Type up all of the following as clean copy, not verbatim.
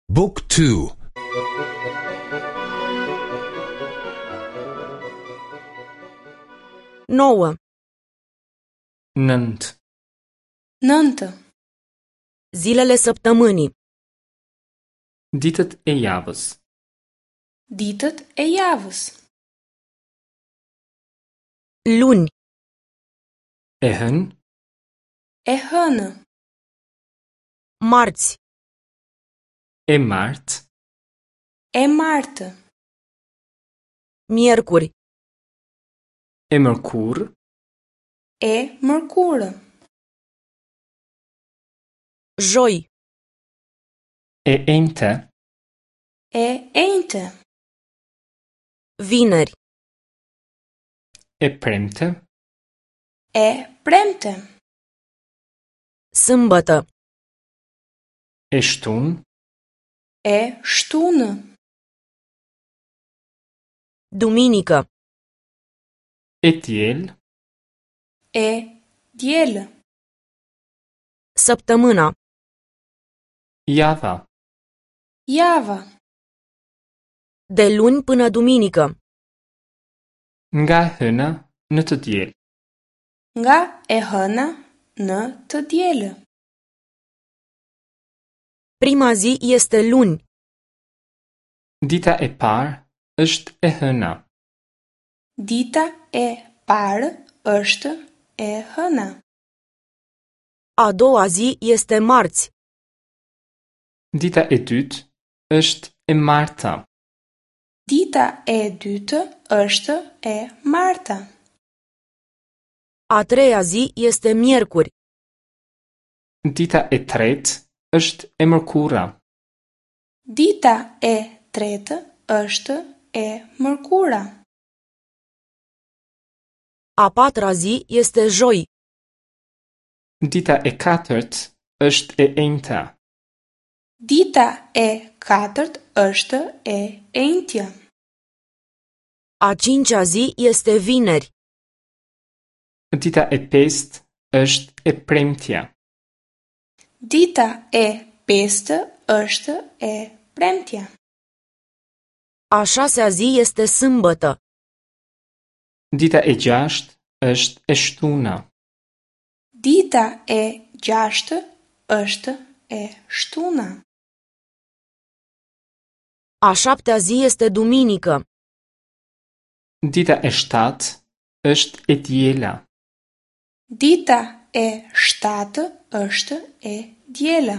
Book 2 9. Nënt. Nëntë. Zilele săptămânii. Ditët e javës. Ditët e javës. Luni, E hënë, E hënë. marți, e martë, E martë. miercuri, e mërkurë, E mërkurë. joi, e enjte, E enjte. vineri, e premte, E premte. sâmbătă, e shtunë, E shtunë. duminică, e diel, E diel. săptămâna, java, Java. de luni până duminică, nga e hëna në të diel. Nga e hëna në të dielë. Prima zi este luni, Dita e parë është e hëna. Dita e parë është e hëna. a doua zi este marți, Dita e dytë është e marta. Dita e dytë është e marta. a treia zi este miercuri, Dita e tretë është e mërkura. Dita e tretë është e mërkura. a patra zi este joi, Dita e katërt është e enjta. Dita e katërt është e enjtja. a cincea zi este vineri, Dita e pestë është e premtja. Dita e pestë është e premtja. a șasea zi este sâmbătă, Dita e gjashtë është e shtuna. Dita e gjashtë është e shtuna. a șaptea zi este duminică, Dita e shtatë është e diela. Dita e shtatë është e diela.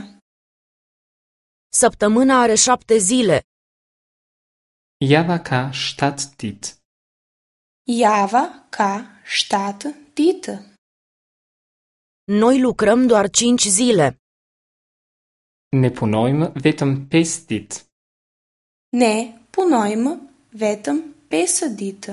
săptămâna are șapte zile, Java ka 7 ditë. Java ka 7 ditë. noi lucrăm doar cinci zile, Ne punojmë vetëm 5 ditë. Ne punojmë vetëm 5 ditë.